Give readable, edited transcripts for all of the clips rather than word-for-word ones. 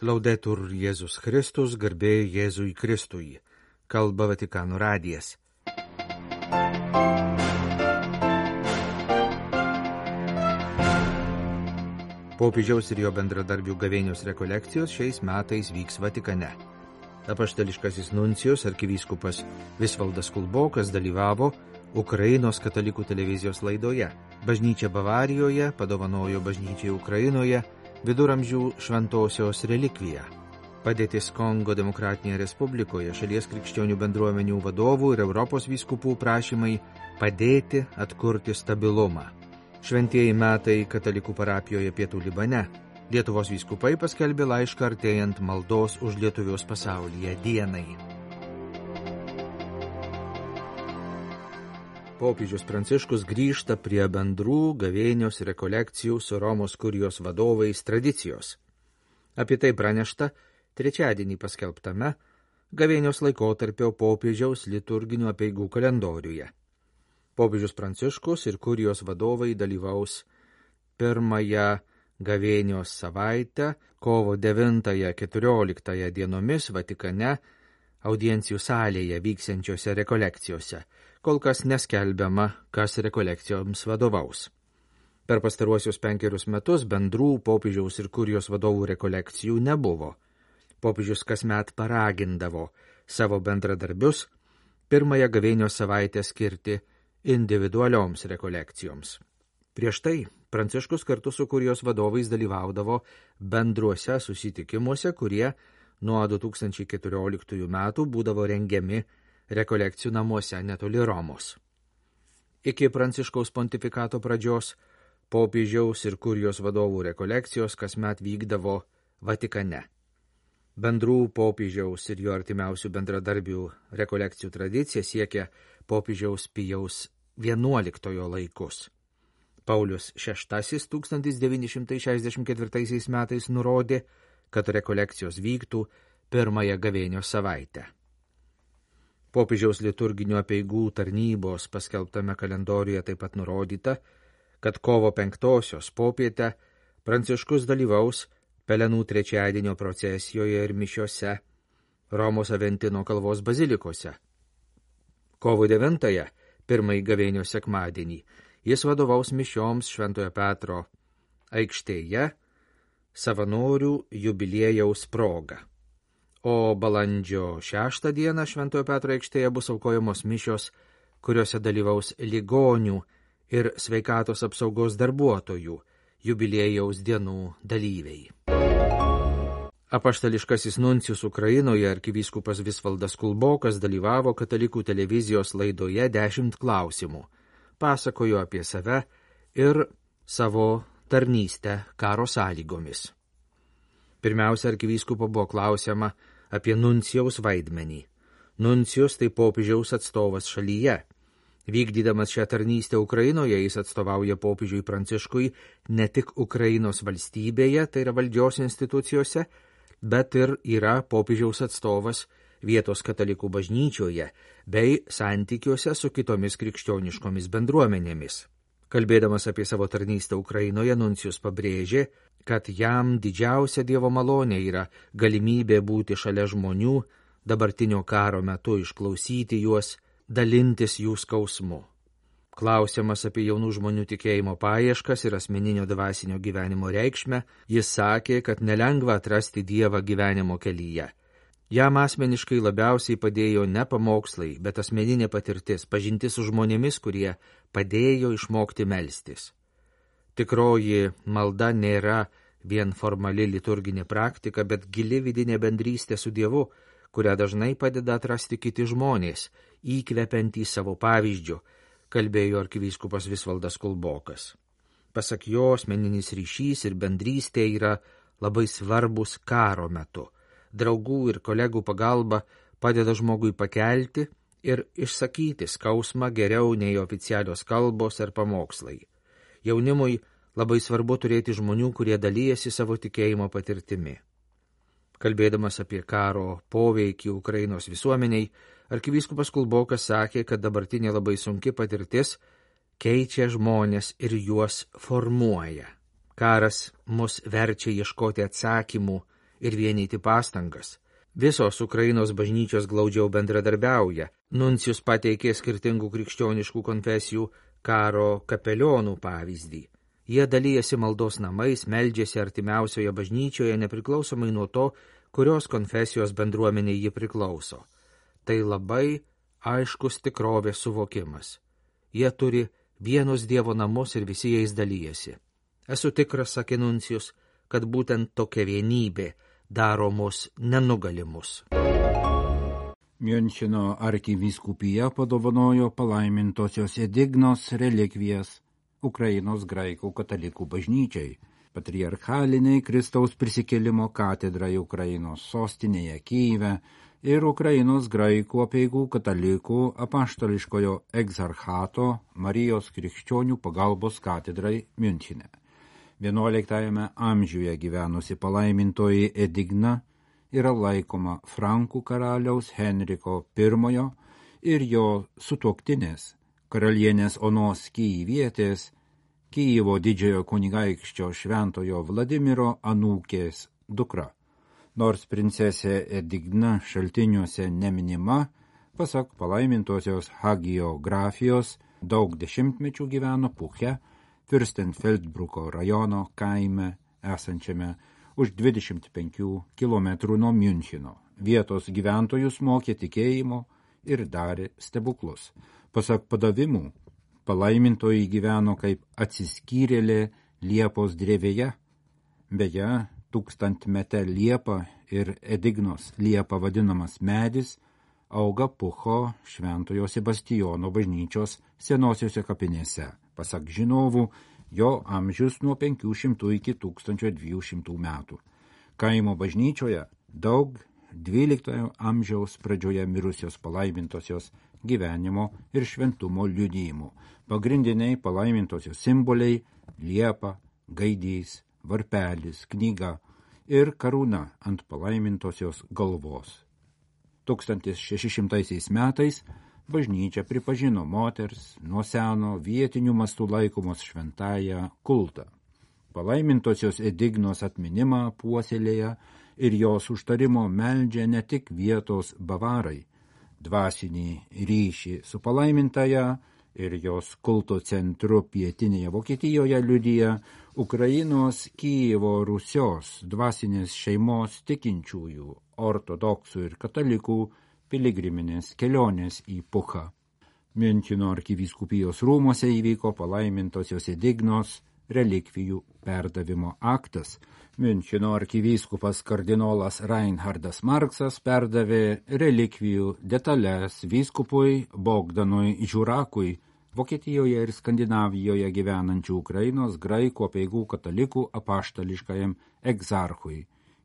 Laudetur Jėzus Kristus, garbė Jėzui Kristui. Kalba Vatikano radijas. Popiežiaus ir jo bendradarbių gavėnios rekolekcijos šiais metais vyks Vatikane. Apaštališkasis nuncijus arkivyskupas Visvaldas Kulbokas dalyvavo Ukrainos katalikų televizijos laidoje. Bažnyčia Bavarijoje padovanojo bažnyčiai Ukrainoje viduramžių šventosios relikviją. Padėtis Kongo Demokratinėje Respublikoje, šalies krikščionių bendruomenių vadovų ir Europos vyskupų prašymai padėti atkurti stabilumą. Šventieji metai katalikų parapijoje Pietų Libane. Lietuvos vyskupai paskelbė laišką artėjant maldos už lietuvius pasaulyje dienai. Popiežius Pranciškus grįžta prie bendrų gavėnios rekolekcijų su Romos kurijos vadovais tradicijos. Apie tai pranešta trečiadienį paskelbtame gavėnios laikotarpio popiežiaus liturginių apeigų kalendoriuje. Popiežius Pranciškus ir kurijos vadovai dalyvaus pirmąją gavėnios savaitę, kovo 9-14 dienomis Vatikane, audiencijų salėje vyksiančiose rekolekcijose. Kol kas neskelbiama, kas rekolekcijoms vadovaus. Per pastaruosius 5 metus bendrų popiežiaus ir kurijos vadovų rekolekcijų nebuvo. Popiežius kasmet paragindavo savo bendradarbius pirmąją gavėnios savaitę skirti individualioms rekolekcijoms. Prieš tai Pranciškus kartu su kurijos vadovais dalyvaudavo bendruose susitikimuose, kurie nuo 2014 metų būdavo rengiami rekolekcijų namuose netoli Romos. Iki Pranciškaus pontifikato pradžios popiežiaus ir kurijos vadovų rekolekcijos kasmet vykdavo Vatikane. Bendrų popiežiaus ir jo artimiausių bendradarbių rekolekcijų tradicija siekia popiežiaus Pijaus XI laikus. Paulius VI 1964 metais nurodė, kad rekolekcijos vyktų pirmąją gavėnios savaitę. Popiežiaus liturginių apeigų tarnybos paskelbtame kalendoriuje taip pat nurodyta, kad kovo 5 popietę Pranciškus dalyvaus Pelenų trečiadienio procesijoje ir mišiose Romos Aventino kalvos bazilikose. Kovo 9, pirmąjį gavėnios sekmadienį, jis vadovaus mišioms Šventojo Petro aikštėje savanorių jubiliejaus proga. O balandžio 6 dieną Šventojo Petro aikštėje bus aukojamos mišios, kuriuose dalyvaus ligonių ir sveikatos apsaugos darbuotojų jubiliejaus dienų dalyviai. Apaštališkasis nuncijus Ukrainoje arkivyskupas Visvaldas Kulbokas dalyvavo katalikų televizijos laidoje 10 klausimų. Pasakojo apie save ir savo tarnystę karo sąlygomis. Pirmiausia, arkivyskupo buvo klausiama apie nuncijaus vaidmenį. Nuncijus tai popiežiaus atstovas šalyje. Vykdydamas šią tarnystę Ukrainoje, jis atstovauja popiežiui Pranciškui ne tik Ukrainos valstybėje, tai yra valdžios institucijose, bet ir yra popiežiaus atstovas vietos katalikų bažnyčioje bei santykiuose su kitomis krikščioniškomis bendruomenėmis. Kalbėdamas apie savo tarnystę Ukrainoje, nuncijus pabrėžė, kad jam didžiausia Dievo malonė yra galimybė būti šalia žmonių, dabartinio karo metu išklausyti juos, dalintis jų skausmu. Klausiamas apie jaunų žmonių tikėjimo paieškas ir asmeninio dvasinio gyvenimo reikšmę, jis sakė, kad nelengva atrasti Dievą gyvenimo kelyje. Jam asmeniškai labiausiai padėjo ne pamokslai, bet asmeninė patirtis, pažintis su žmonėmis, kurie padėjo išmokti melstis. Tikroji malda nėra vien formali liturginė praktika, bet gili vidinė bendrystė su Dievu, kurią dažnai padeda atrasti kiti žmonės, įkvepiantys savo pavyzdžiu, kalbėjo arkivyskupas Visvaldas Kulbokas. Pasak jo, asmeninis ryšys ir bendrystė yra labai svarbus karo metu. Draugų ir kolegų pagalba padeda žmogui pakelti ir išsakyti skausmą geriau nei oficialios kalbos ar pamokslai. Jaunimui labai svarbu turėti žmonių, kurie dalyjasi savo tikėjimo patirtimi. Kalbėdamas apie karo poveikį Ukrainos visuomeniai, arkivyskupas Kulbokas sakė, kad dabartinė labai sunki patirtis keičia žmonės ir juos formuoja. Karas mus verčia ieškoti atsakymų ir vienyti pastangas. Visos Ukrainos bažnyčios glaudžiau bendradarbiauja. Nuncijus pateikė skirtingų krikščioniškų konfesijų karo kapelionų pavyzdį. Jie dalyjasi maldos namais, meldžiasi artimiausioje bažnyčioje nepriklausomai nuo to, kurios konfesijos bendruomenė ji priklauso. Tai labai aiškus tikrovės suvokimas. Jie turi vienus Dievo namus ir visi jais dalyjasi. Esu tikras, sakė Nuncijus, kad būtent tokia vienybė daro mus nenugalimus. Miuncheno arkivyskupija padovanojo palaimintosios Edignos relikvijas Ukrainos graikų katalikų bažnyčiai, patriarchaliniai Kristaus prisikėlimo katedrai Ukrainos sostinėje Kyjive ir Ukrainos graikų apeigų katalikų apaštališkojo egzarchato Marijos krikščionių pagalbos katedrai Miunchene. 11 amžiuje gyvenusi palaimintoji Edigna yra laikoma Frankų karaliaus Henriko I ir jo sutuoktinės, karalienės Onos Kyjivietės, Kyjivo didžiojo kunigaikščio šventojo Vladimiro anūkės dukra. Nors princesė Edigna šaltiniuose neminima, pasak palaimintosios hagiografijos, daug dešimtmečių gyveno Puche, Fürstenfeldbruko rajono kaime esančiame už 25 km nuo Miuncheno. Vietos gyventojus mokė tikėjimo ir darė stebuklus. Pasak padavimų, palaimintoji gyveno kaip atsiskyrėlė liepos drevėje. Beje, 1000-metė liepa ir Edignos liepa vadinamas medis auga Pucho šventojo Sebastijono bažnyčios senosiuose kapinėse. Pasak žinovų, jo amžius nuo 500 iki 1200 metų. Kaimo bažnyčioje daug 12 amžiaus pradžioje mirusios palaimintosios gyvenimo ir šventumo liudijimų. Pagrindiniai palaimintosios simboliai – liepa, gaidys, varpelis, knyga ir karūna ant palaimintosios galvos. 1600 metais bažnyčia pripažino moters nuo seno vietinių mastų laikomos šventąją kultą. Palaimintosios Edignos atminimą puoselėja ir jos užtarimo meldžia ne tik vietos bavarai. Dvasinį ryšį su palaimintąja ir jos kulto centru pietinėje Vokietijoje liudija Ukrainos Kyjivo Rusios dvasinės šeimos tikinčiųjų, ortodoksų ir katalikų piligriminės kelionės į Puchą. Miuncheno arkivyskupijos rūmose įvyko palaimintosios Edignos relikvijų perdavimo aktas. Miuncheno arkivyskupas kardinolas Reinhardas Marksas perdavė relikvijų detalės vyskupui Bogdanui Žiūrakui, Vokietijoje ir Skandinavijoje gyvenančių Ukrainos graikų apeigų katalikų apaštališkajam egzarchui.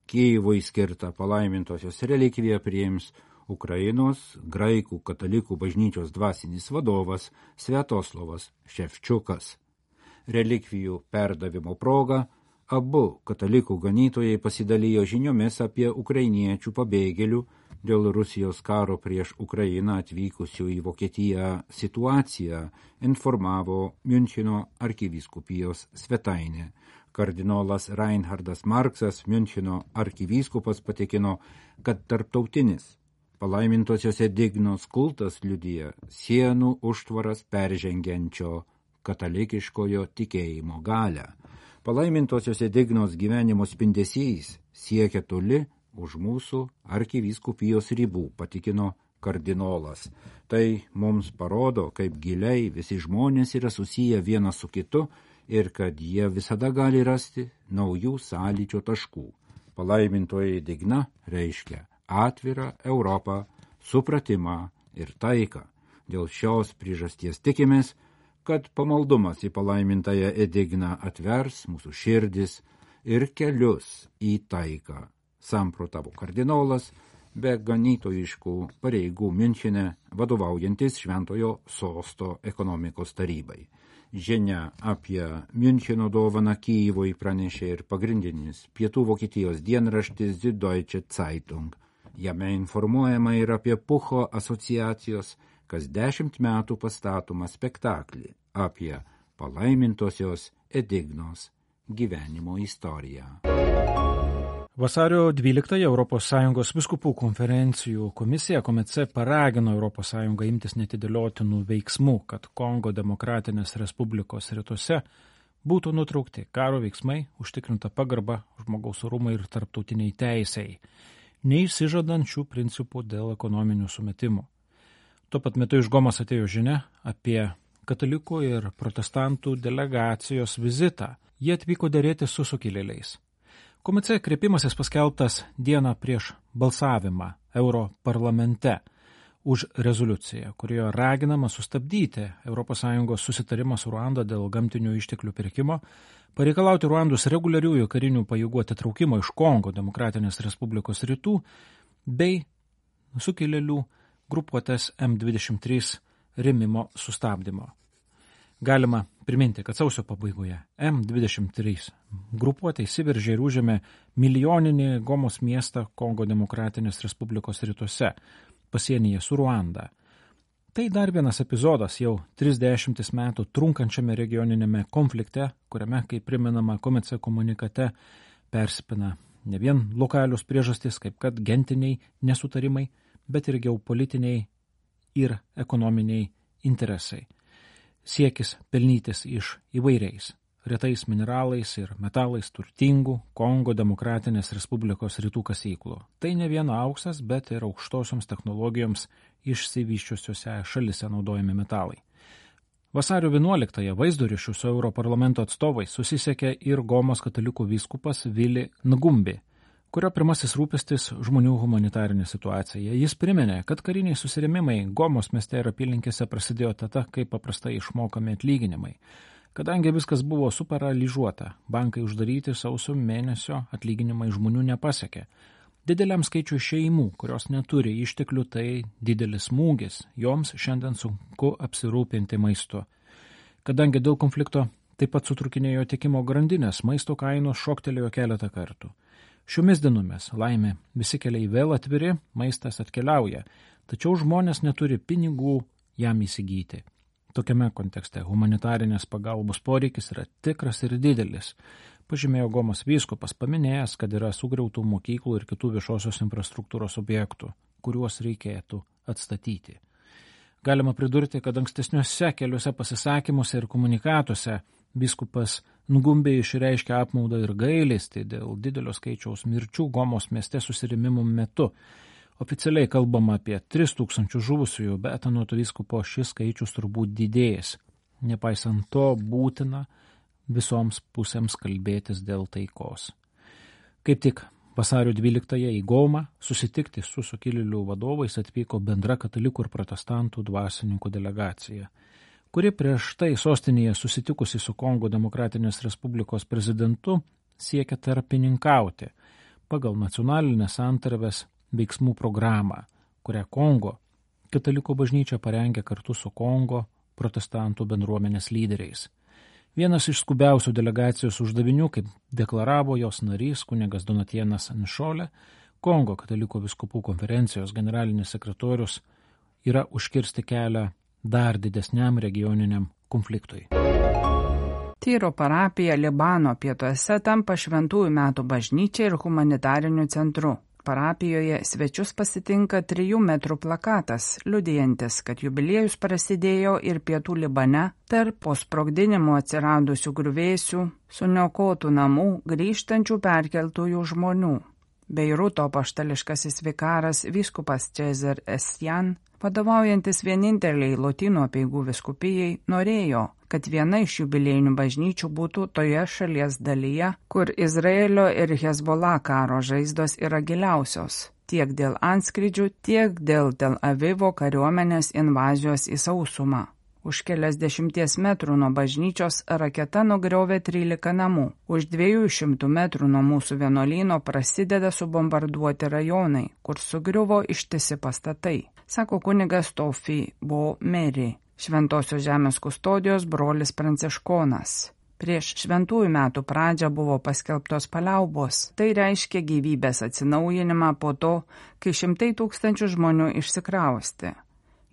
Kyjivui skirtą palaimintosios relikviją priims Ukrainos graikų katalikų bažnyčios dvasinis vadovas Sviatoslavas Ševčiukas. Relikvijų perdavimo proga abu katalikų ganytojai pasidalijo žiniomis apie ukrainiečių pabėgėlių dėl Rusijos karo prieš Ukrainą atvykusių į Vokietiją situaciją, informavo Miuncheno arkivyskupijos svetainė. Kardinolas Reinhardas Marksas, Miuncheno arkivyskupas, patikino, kad tarptautinis palaimintosios Edignos kultas liudija sienų užtvaras peržengiančio katalikiškojo tikėjimo galią. Palaimintosios Edignos gyvenimo spindesys siekia toli už mūsų arkivyskupijos ribų, patikino kardinolas. Tai mums parodo, kaip giliai visi žmonės yra susiję vienas su kitu ir kad jie visada gali rasti naujų sąlyčio taškų. Palaimintoji Edigna reiškia atvirą Europą, supratimą ir taiką. Dėl šios priežasties tikimės, kad pamaldumas į palaimintąją Edigną atvers mūsų širdis ir kelius į taiką. Samprotavo kardinolas, be ganytojiškų pareigų Miunchene vadovaujantis Šventojo sosto ekonomikos tarybai. Žinia apie Miuncheno dovaną Kyjivui pranešė ir pagrindinis Pietų Vokietijos dienraštis Die Deutsche Zeitung. Jame informuojama ir apie Pucho asociacijos kas 10 metų pastatomą spektaklį apie palaimintosios Edignos gyvenimo istoriją. Vasario 12 ES vyskupų konferencijų komisija KOMECE paragino ES imtis netidėliotinų veiksmų, kad Kongo Demokratinės Respublikos rytuose būtų nutraukti karo veiksmai, užtikrinta pagarba žmogaus orumui ir tarptautiniai teisei, neišsižadant šių principų dėl ekonominių sumetimų. Tuo pat metu iš Gomos atėjo žinia apie katalikų ir protestantų delegacijos vizitą. Jie atvyko dėrėti su sukilėliais. KOMECE kreipimasis paskelbtas dieną prieš balsavimą Europarlamente už rezoliuciją, kurioje raginama sustabdyti ES susitarimą su Ruanda dėl gamtinių išteklių pirkimo, pareikalauti Ruandos reguliariųjų karinių pajėgų atitraukimo iš Kongo Demokratinės Respublikos rytų bei sukilėlių grupuotės M23 rėmimo sustabdymo. Galima priminti, kad sausio pabaigoje M23 grupuotė įsiveržė ir užėmė milijoninį Gomos miestą Kongo Demokratinės Respublikos rytuose, pasienyje su Ruanda. Tai dar vienas epizodas jau 30 metų trunkančiame regioninėme konflikte, kuriame, kaip primenama KOMECE komunikate, persipina ne vien lokalius priežastys, kaip kad gentiniai nesutarimai, bet ir geopolitiniai ir ekonominiai interesai. Siekis pelnytis iš įvairiais, retais mineralais ir metalais turtingų Kongo Demokratinės Respublikos rytų kasyklų. Tai ne vien auksas, bet ir aukštosioms technologijoms išsivysčiusiuose šalise naudojami metalai. Vasario 11 vaizdo ryšių su Europarlamento atstovais susisiekė ir Gomos katalikų vyskupas Vili Ngumbi, kurio pirmasis rūpestis žmonių humanitarinė situacija. Jis priminė, kad kariniai susirėmimai Gomos mieste ir apylinkėse prasidėjo tada, kai paprastai išmokami atlyginimai. Kadangi viskas buvo suparalyžuota, bankai uždaryti, sausio mėnesio atlyginimai žmonių nepasiekė. Dideliam skaičiui šeimų, kurios neturi išteklių, tai didelis smūgis, joms šiandien sunku apsirūpinti maistu. Kadangi dėl konflikto taip pat sutrukinėjo tiekimo grandinės, maisto kainos šoktelėjo keletą kartų. Šiomis dienomis, laimė, visi keliai vėl atviri, maistas atkeliauja, tačiau žmonės neturi pinigų jam įsigyti. Tokiame kontekste humanitarinės pagalbos poreikis yra tikras ir didelis, pažymėjo Gomos vyskupas, paminėjęs, kad yra sugriautų mokyklų ir kitų viešosios infrastruktūros objektų, kuriuos reikėtų atstatyti. Galima pridurti, kad ankstesniuose keliuose pasisakymuose ir komunikatuose vyskupas Ngumbi išreiškia apmaudą ir gailestį dėl didelio skaičiaus mirčių Gomos mieste susirėmimų metu. Oficialiai kalbama apie 3000 žuvusiųjų, bet anot vyskupo šis skaičius turbūt didės. Nepaisant to, būtina visoms pusėms kalbėtis dėl taikos. Kaip tik vasario 12 į Gomą susitikti su sukilėlių vadovais atvyko bendra katalikų ir protestantų dvasininkų delegacija, kuri prieš tai sostinėje susitikusi su Kongo Demokratinės Respublikos prezidentu siekia tarpininkauti pagal nacionalinės santarvės veiksmų programą, kurią Kongo katalikų bažnyčia parengė kartu su Kongo protestantų bendruomenės lyderiais. Vienas iš skubiausių delegacijos uždavinių, kaip deklaravo jos narys kunigas Donatienas Nšolė, Kongo katalikų vyskupų konferencijos generalinis sekretorius, yra užkirsti kelią dar didesniam regioniniam konfliktui. Tyro parapija Libano pietuose tampa šventųjų metų bažnyčia ir humanitariniu centru. Parapijoje svečius pasitinka 3 metrų plakatas, liudijantis, kad jubiliejus prasidėjo ir pietų Libane tarp po sprogdinimo atsiradusių griuvėsių, suniokotų namų, grįžtančių perkeltųjų žmonių. Beiruto apaštališkasis vikaras vyskupas Cezar Esjan, vadovaujantis vieninteliai Lotynų apeigų vyskupijai, norėjo, kad viena iš jubiliejinių bažnyčių būtų toje šalies dalyje, kur Izraelio ir Hezbollah karo žaizdos yra giliausios, tiek dėl antskrydžių, tiek dėl Tel Avivo kariuomenės invazijos į sausumą. Už keliasdešimties metrų nuo bažnyčios raketa nugriovė 13 namų. Už 200 metrų nuo mūsų vienuolyno prasideda subombarduoti rajonai, kur sugriuvo ištisi pastatai, sako kunigas Tofi Bo Meri, Šventosios žemės kustodijos brolis pranciškonas. Prieš šventųjų metų pradžią buvo paskelbtos paliaubos. Tai reiškia gyvybės atsinaujinimą po to, kai 100 000 žmonių išsikrausti.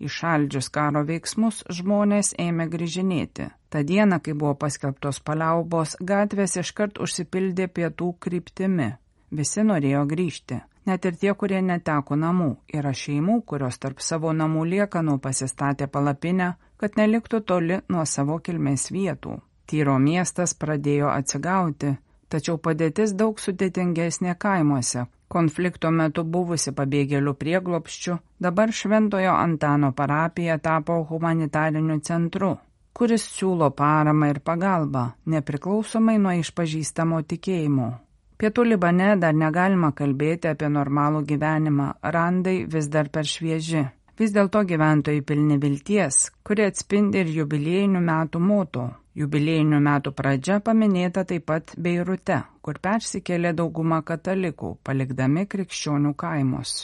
Įšaldžius karo veiksmus žmonės ėmė grįžinėti. Ta diena, kai buvo paskelbtos paliaubos, gatvės iškart užsipildė pietų kryptimi. Visi norėjo grįžti. Net ir tie, kurie neteko namų. Yra šeimų, kurios tarp savo namų liekanų pasistatė palapinę, kad neliktų toli nuo savo kilmės vietų. Tyro miestas pradėjo atsigauti, tačiau padėtis daug sudėtingesnė kaimuose. Konflikto metu buvusi pabėgėlių prieglobsčiu, dabar Šventojo Antano parapija tapo humanitariniu centru, kuris siūlo paramą ir pagalbą, nepriklausomai nuo išpažįstamo tikėjimo. Pietų Libane dar negalima kalbėti apie normalų gyvenimą, randai vis dar per švieži. Vis dėlto gyventojai pilni vilties, kuri atspindi ir jubiliejinių metų moto. Jubiliejinių metų pradžia paminėta taip pat Beirute, kur persikėlė dauguma katalikų, palikdami krikščionių kaimus.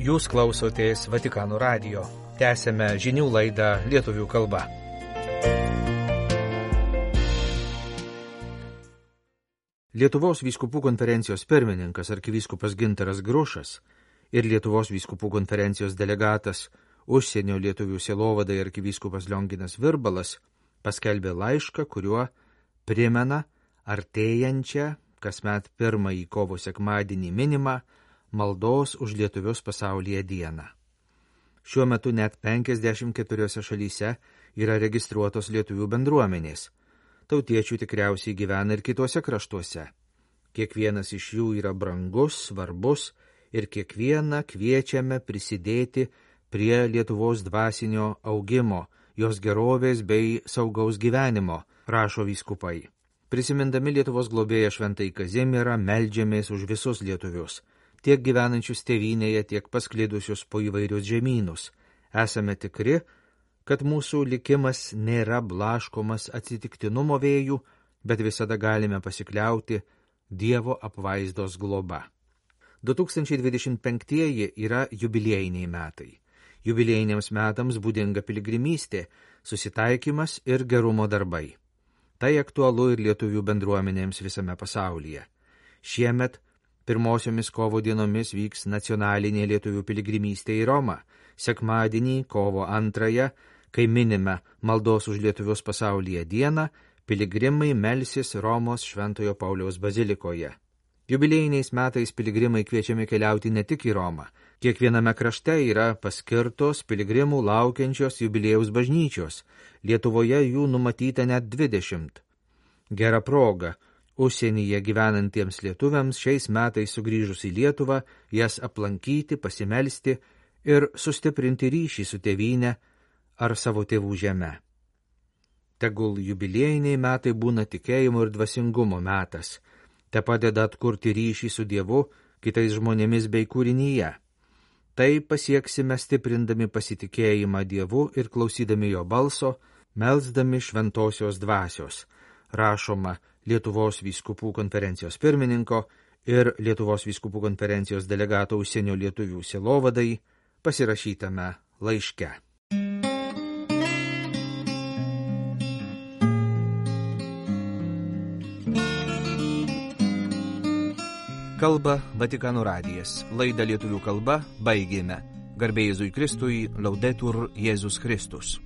Jūs klausotės Vatikano radijo. Tęsėme žinių laidą lietuvių kalba. Lietuvos vyskupų konferencijos pirmininkas arkivyskupas Gintaras Grušas ir Lietuvos vyskupų konferencijos delegatas užsienio lietuvių sielovadai arkivyskupas Lionginas Virbalas paskelbė laišką, kuriuo primena artėjančią kasmet pirmąjį kovo sekmadienį minimą maldos už lietuvius pasaulyje dieną. Šiuo metu net 54 šalyse yra registruotos lietuvių bendruomenės. Tautiečių tikriausiai gyvena ir kitose kraštuose. Kiekvienas iš jų yra brangus, svarbus ir kiekvieną kviečiame prisidėti prie Lietuvos dvasinio augimo, jos gerovės bei saugaus gyvenimo, rašo vyskupai. Prisimindami Lietuvos globėją Šventąjį Kazimierą, meldžiamės už visus lietuvius, tiek gyvenančius tėvynėje, tiek pasklidusius po įvairius žemynus. Esame tikri, kad mūsų likimas nėra blaškomas atsitiktinumo vėjų, bet visada galime pasikliauti Dievo apvaizdos globa. 2025 yra jubiliejiniai metai. Jubiliejiniams metams būdinga piligrimystė, susitaikymas ir gerumo darbai. Tai aktualu ir lietuvių bendruomenėms visame pasaulyje. Šiemet pirmosiomis kovo dienomis vyks nacionalinė lietuvių piligrimystė į Romą. Sekmadienį, kovo 2, kai minime maldos už lietuvius pasaulyje dieną, piligrimai melsis Romos Šventojo Pauliaus bazilikoje. Jubiliejiniais metais piligrimai kviečiami keliauti ne tik į Romą. Kiekviename krašte yra paskirtos piligrimų laukiančios jubiliejaus bažnyčios. Lietuvoje jų numatyta net 20. Gera proga užsienyje gyvenantiems lietuviams šiais metais sugrįžus į Lietuvą, jas aplankyti, pasimelsti ir sustiprinti ryšį su tėvyne ar savo tėvų žeme. Tegul jubiliejiniai metai būna tikėjimo ir dvasingumo metas, te padeda atkurti ryšį su Dievu, kitais žmonėmis bei kūrinyje. Tai pasieksime stiprindami pasitikėjimą Dievu ir klausydami jo balso, melsdami šventosios dvasios, rašoma Lietuvos vyskupų konferencijos pirmininko ir Lietuvos vyskupų konferencijos delegato užsienio lietuvių sielovadai pasirašytame laiške. Kalba Vatikano radijas. Laidą lietuvių kalba baigėme. Garbė Jėzui Kristui, Laudetur Jėzus Kristus.